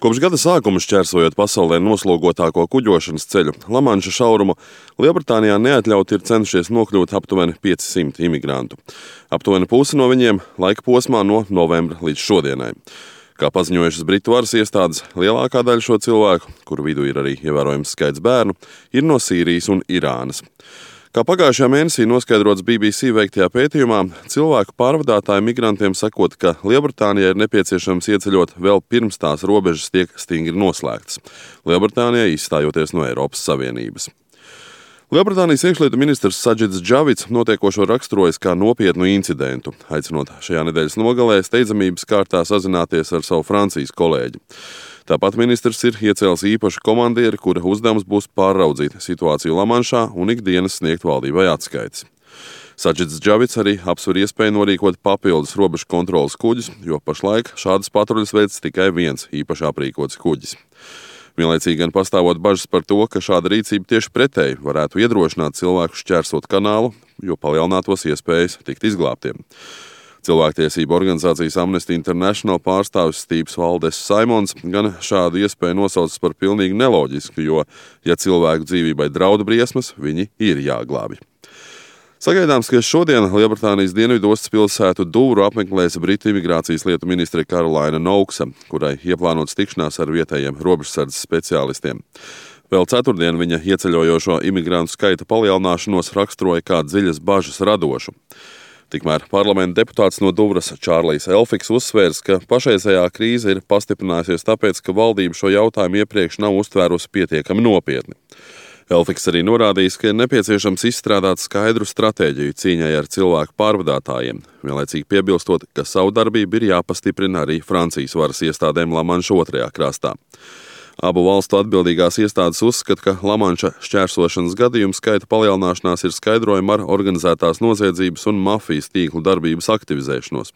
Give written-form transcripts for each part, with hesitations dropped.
Kopš gada sākuma šķērsojot pasaulē noslogotāko kuģošanas ceļu Lamanša šaurumu, Lielbritānijā neatļauti ir cenšies nokļūt aptuveni 500 imigrantu. Aptuveni pusi no viņiem laika posmā no novembra līdz šodienai. Kā paziņojušas Britu varas iestādes, lielākā daļa šo cilvēku, kuru vidū ir arī ievērojams skaits bērnu, ir no Sīrijas un Irānas. Kā pagājušajā mēnesī noskaidrots BBC veiktajā pētījumā, cilvēku pārvadātāju migrantiem sakot, ka Lielbritānijai ir nepieciešams ieceļot vēl pirms tās robežas tiek stingri noslēgtas, Lielbritānijai izstājoties no Eiropas Savienības. Lielbritānijas iekšlietu ministrs Sadžids Džavids notiekošo raksturojas kā nopietnu incidentu, aicinot šajā nedēļas nogalē steidzamības kārtā sazināties ar savu Francijas kolēģi. Tāpat ministrs ir iecēlis īpašu komandieri, kura uzdevums būs pārraudzīt situāciju Lamanšā un ikdienas sniegt valdībai atskaites. Sadžids Džavids arī apsver iespēju norīkot papildus robežu kontrolas kuģus, jo pašlaik šādas patruļas veids tikai viens īpaši aprīkots kuģis. Vienlaicīgi gan pastāvot bažas par to, ka šāda rīcība tieši pretēji varētu iedrošināt cilvēku šķērsot kanālu, jo palielinātos iespējas tikt izglābtiem. Cilvēktiesību organizācijas Amnesty International pārstāvis Stīvs Valdes Saimons gan šādu iespēju nosaucis par pilnīgi neloģisku, jo, ja cilvēku dzīvībai draud briesmas, viņi ir jāglābj. Sagaidāms, ka šodien Lielbritānijas dienvidostas pilsētu Dūru apmeklēs Britu imigrācijas lietu ministre Karolaina Nouksa, kurai ieplānots tikšanās ar vietējiem robežsardzes speciālistiem. Vēl ceturtdien viņa ieceļojošo imigrantu skaita palielināšanos raksturoja kā dziļas bažas radošu. Tikmēr parlamenta deputāts no Duvras Čārlijs Elfiks uzsvērs, ka pašreizējā krīze ir pastiprinājusies tāpēc, ka valdība šo jautājumu iepriekš nav uztvērusi pietiekami nopietni. Elfiks arī norādījis, ka ir nepieciešams izstrādāt skaidru stratēģiju cīņai ar cilvēku pārvadātājiem, vienlaicīgi piebilstot, ka savu darbību ir jāpastiprina arī Francijas varas iestādēm Lamanša otrajā krastā. Abu valstu atbildīgās iestādes uzskata, ka Lamanša šķērsošanas gadījumu skaita palielināšanās ir skaidrojama ar organizētās noziedzības un mafijas tīklu darbības aktivizēšanos.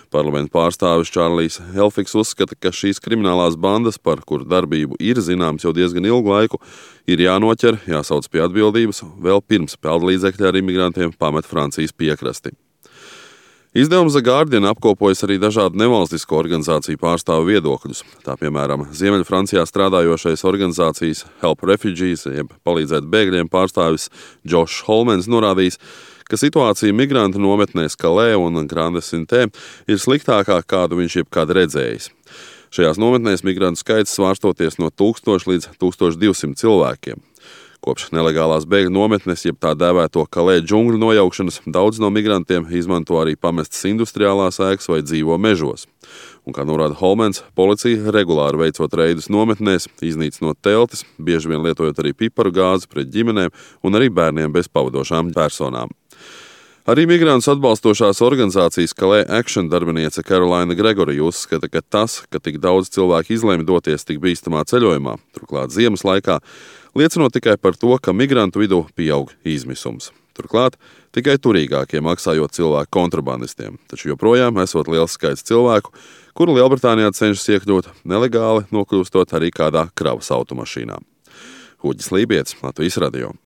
Parlamenta pārstāvis Čārlijs Elfiks uzskata, ka šīs kriminālās bandas, par kuru darbību ir zināms jau diezgan ilgu laiku, ir jānoķer, jāsauc pie atbildības vēl pirms peldlīdzekļi ar imigrantiem pamet Francijas piekrasti. Izdevums The Guardian apkopojas arī dažādu nevalstisko organizāciju pārstāvu viedokļus. Tā piemēram, Ziemeļfrancijā strādājošais organizācijas Help Refugees, jeb palīdzēt bēgļiem pārstāvis Joshs Holmens norādījis, ka situācija migrantu nometnēs Calais un Grande-Syntē ir sliktākā, kādu viņš jebkad redzējis. Šajās nometnēs migrantu skaits svārstoties no 1000 līdz 1200 cilvēkiem. Kopš nelegālās bēgļu nometnes, jeb tā dēvēto Calais džungļu nojaukšanas, daudz no migrantiem izmanto arī pamestas industriālās ēkas vai dzīvo mežos. Un, kā norāda Holmens, policija regulāri veicot reidus nometnēs, iznīcinot teltis, bieži vien lietojot arī piparu gāzi pret ģimenēm un arī bērniem bez pavadošām personām. Arī migrantus atbalstošās organizācijas Calais Action darbiniece Karolaina Gregorija uzskata, ka tas, ka tik daudz cilvēku izlēma doties tik bīstamā ceļojumā, turklāt ziemas laikā, liecinot tikai par to, ka migrantu vidū pieaug izmisums. Turklāt tikai turīgākie maksājot cilvēku kontrabandistiem, taču joprojām esot liels skaits cilvēku, kuru Lielbritānijā cenšas iekļūt nelegāli, nokļūstot arī kādā kravas automašīnā. Huģis Lībietis, Latvijas radio.